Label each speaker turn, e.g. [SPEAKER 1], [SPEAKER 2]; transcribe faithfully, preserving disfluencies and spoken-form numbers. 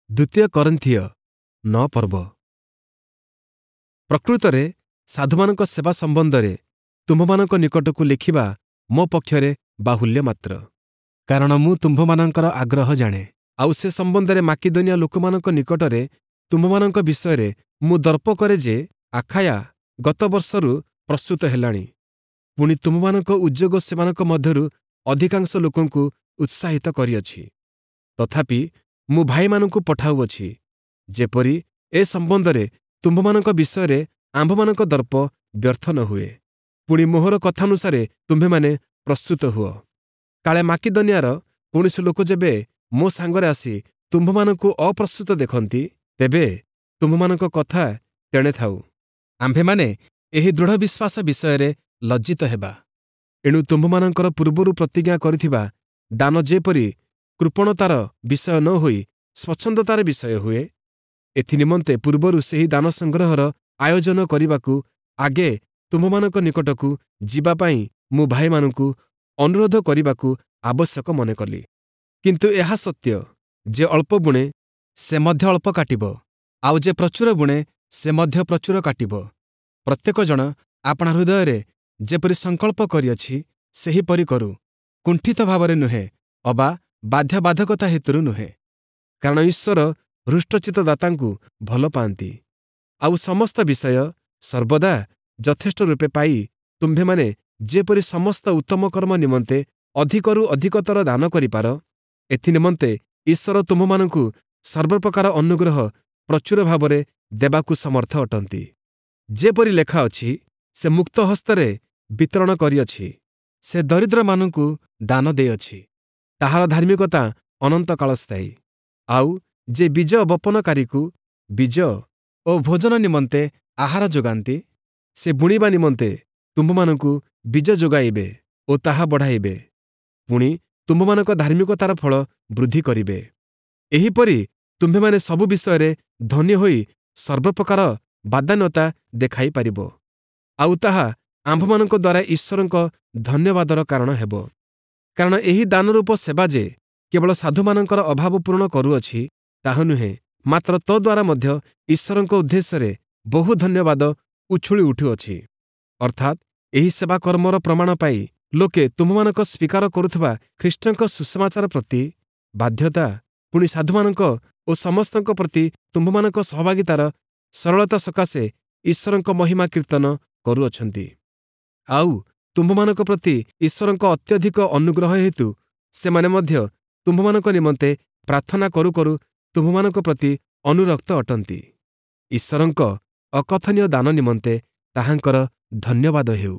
[SPEAKER 1] ଦ୍ୱିତୀୟ କରିନ୍ଥୀୟ ନଅ ପର୍ବ। ପ୍ରକୃତରେ ସାଧୁମାନଙ୍କ ସେବା ସମ୍ବନ୍ଧରେ ତୁମ୍ଭମାନଙ୍କ ନିକଟକୁ ଲେଖିବା ମୋ ପକ୍ଷରେ ବାହୁଲ୍ୟ ମାତ୍ର। କାରଣ ମୁଁ ତୁମ୍ଭମାନଙ୍କର ଆଗ୍ରହ ଜାଣେ, ଆଉ ସେ ସମ୍ବନ୍ଧରେ ମାକିଦନିଆ ଲୋକମାନଙ୍କ ନିକଟରେ ତୁମ୍ଭମାନଙ୍କ ବିଷୟରେ ମୁଁ ଦର୍ପ କରେ ଯେ ଆଖାୟା ଗତ ବର୍ଷରୁ ପ୍ରସ୍ତୁତ ହେଲାଣି। ପୁଣି ତୁମ୍ଭମାନଙ୍କ ଉଦ୍ଯୋଗ ସେମାନଙ୍କ ମଧ୍ୟରୁ ଅଧିକାଂଶ ଲୋକଙ୍କୁ ଉତ୍ସାହିତ କରିଅଛି। ତଥାପି ମୁଁ ଭାଇମାନଙ୍କୁ ପଠାଉଅଛି, ଯେପରି ଏ ସମ୍ବନ୍ଧରେ ତୁମ୍ଭମାନଙ୍କ ବିଷୟରେ ଆମ୍ଭମାନଙ୍କ ଦର୍ପ ବ୍ୟର୍ଥ ନ ହୁଏ। ପୁଣି ମୋହର କଥାନୁସାରେ ତୁମ୍ଭେମାନେ ପ୍ରସ୍ତୁତ ହୁଅ। କାଳେ ମାକିଦନିଆର କୌଣସି ଲୋକ ଯେବେ ମୋ ସାଙ୍ଗରେ ଆସି ତୁମ୍ଭମାନଙ୍କୁ ଅପ୍ରସ୍ତୁତ ଦେଖନ୍ତି, ତେବେ ତୁମ୍ଭମାନଙ୍କ କଥା ତେଣେ ଥାଉ। ଆମ୍ଭେମାନେ ଏହି ଦୃଢ଼ ବିଶ୍ୱାସ ବିଷୟରେ ଲଜ୍ଜିତ ହେବା। ଏଣୁ ତୁମ୍ଭମାନଙ୍କର ପୂର୍ବରୁ ପ୍ରତିଜ୍ଞା କରିଥିବା ଦାନ ଯେପରି କୃପଣତାର ବିଷୟ ନ ହୋଇ ସ୍ୱଚ୍ଛନ୍ଦତାର ବିଷୟ ହୁଏ, ଏଥିନିମନ୍ତେ ପୂର୍ବରୁ ସେହି ଦାନ ସଂଗ୍ରହର ଆୟୋଜନ କରିବାକୁ ଆଗେ ତୁମ୍ଭମାନଙ୍କ ନିକଟକୁ ଯିବା ପାଇଁ ମୁଁ ଭାଇମାନଙ୍କୁ ଅନୁରୋଧ କରିବାକୁ ଆବଶ୍ୟକ ମନେ କଲି। କିନ୍ତୁ ଏହା ସତ୍ୟ, ଯେ ଅଳ୍ପ ବୁଣେ ସେ ମଧ୍ୟ ଅଳ୍ପ କାଟିବ, ଆଉ ଯେ ପ୍ରଚୁର ବୁଣେ ସେ ମଧ୍ୟ ପ୍ରଚୁର କାଟିବ। ପ୍ରତ୍ୟେକ ଜଣ ଆପଣା ହୃଦୟରେ ଯେପରି ସଂକଳ୍ପ କରିଅଛି, ସେହିପରି କରୁ, କୁଣ୍ଠିତ ଭାବରେ ନୁହେଁ ଅବା ବାଧ୍ୟବାଧକତା ହେତୁରୁ ନୁହେଁ। କାରଣ ଈଶ୍ୱର ହୃଷ୍ଟଚିତ୍ତ ଦାତାଙ୍କୁ ଭଲ ପାଆନ୍ତି। ଆଉ ସମସ୍ତ ବିଷୟ ସର୍ବଦା ଯଥେଷ୍ଟ ରୂପେ ପାଇ ତୁମ୍ଭେମାନେ ଯେପରି ସମସ୍ତ ଉତ୍ତମ କର୍ମ ନିମନ୍ତେ ଅଧିକରୁ ଅଧିକତର ଦାନ କରିପାର, ଏଥିନିମନ୍ତେ ଈଶ୍ୱର ତୁମ୍ଭମାନଙ୍କୁ ସର୍ବପ୍ରକାର ଅନୁଗ୍ରହ ପ୍ରଚୁର ଭାବରେ ଦେବାକୁ ସମର୍ଥ ଅଟନ୍ତି। ଯେପରି ଲେଖା ଅଛି, ସେ ମୁକ୍ତ ହସ୍ତରେ ବିତରଣ କରିଅଛି, ସେ ଦରିଦ୍ରମାନଙ୍କୁ ଦାନ ଦେଇଅଛି, ତାହାର ଧାର୍ମିକତା ଅନନ୍ତକାଳ ସ୍ଥାୟୀ। ଆଉ ଯେ ବୀଜ ବପନକାରୀକୁ ବୀଜ ଓ ଭୋଜନ ନିମନ୍ତେ ଆହାର ଯୋଗାନ୍ତି, ସେ ବୁଣିବା ନିମନ୍ତେ ତୁମ୍ଭମାନଙ୍କୁ ବୀଜ ଯୋଗାଇବେ ଓ ତାହା ବଢ଼ାଇବେ, ପୁଣି ତୁମ୍ଭମାନଙ୍କ ଧାର୍ମିକତାର ଫଳ ବୃଦ୍ଧି କରିବେ। ଏହିପରି ତୁମ୍ଭେମାନେ ସବୁ ବିଷୟରେ ଧନୀ ହୋଇ ସର୍ବପ୍ରକାର ବଦାନ୍ୟତା ଦେଖାଇ ପାରିବ, ଆଉ ତାହା ଆମ୍ଭମାନଙ୍କ ଦ୍ୱାରା ଈଶ୍ୱରଙ୍କ ଧନ୍ୟବାଦର କାରଣ ହେବ। କାରଣ ଏହି ଦାନରୂପ ସେବା ଯେ କେବଳ ସାଧୁମାନଙ୍କର ଅଭାବ ପୂରଣ କରୁଅଛି, ତାହା ନୁହେଁ, ମାତ୍ର ତଦ୍ୱାରା ମଧ୍ୟ ଈଶ୍ୱରଙ୍କ ଉଦ୍ଦେଶ୍ୟରେ ବହୁ ଧନ୍ୟବାଦ ଉଛୁଳି ଉଠୁଅଛି। ଅର୍ଥାତ୍ ଏହି ସେବା କର୍ମର ପ୍ରମାଣ ପାଇ ଲୋକେ ତୁମ୍ଭମାନଙ୍କ ସ୍ୱୀକାର କରୁଥିବା ଖ୍ରୀଷ୍ଟଙ୍କ ସୁସମାଚାର ପ୍ରତି ବାଧ୍ୟତା, ପୁଣି ସାଧୁମାନଙ୍କ ଓ ସମସ୍ତଙ୍କ ପ୍ରତି ତୁମ୍ଭମାନଙ୍କ ସହଭାଗିତାର ସରଳତା ସକାଶେ ଈଶ୍ୱରଙ୍କ ମହିମା କୀର୍ତ୍ତନ କରୁଅଛନ୍ତି। ଆଉ ତୁମ୍ଭମାନଙ୍କ ପ୍ରତି ଈଶ୍ୱରଙ୍କ ଅତ୍ୟଧିକ ଅନୁଗ୍ରହ ହେତୁ ସେମାନେ ମଧ୍ୟ ତୁମ୍ଭମାନଙ୍କ ନିମନ୍ତେ ପ୍ରାର୍ଥନା କରୁ କରୁ ତୁମ୍ଭମାନଙ୍କ ପ୍ରତି ଅନୁରକ୍ତ ଅଟନ୍ତି। ଈଶ୍ୱରଙ୍କ ଅକଥନୀୟ ଦାନ ନିମନ୍ତେ ତାହାଙ୍କର ଧନ୍ୟବାଦ ହେଉ।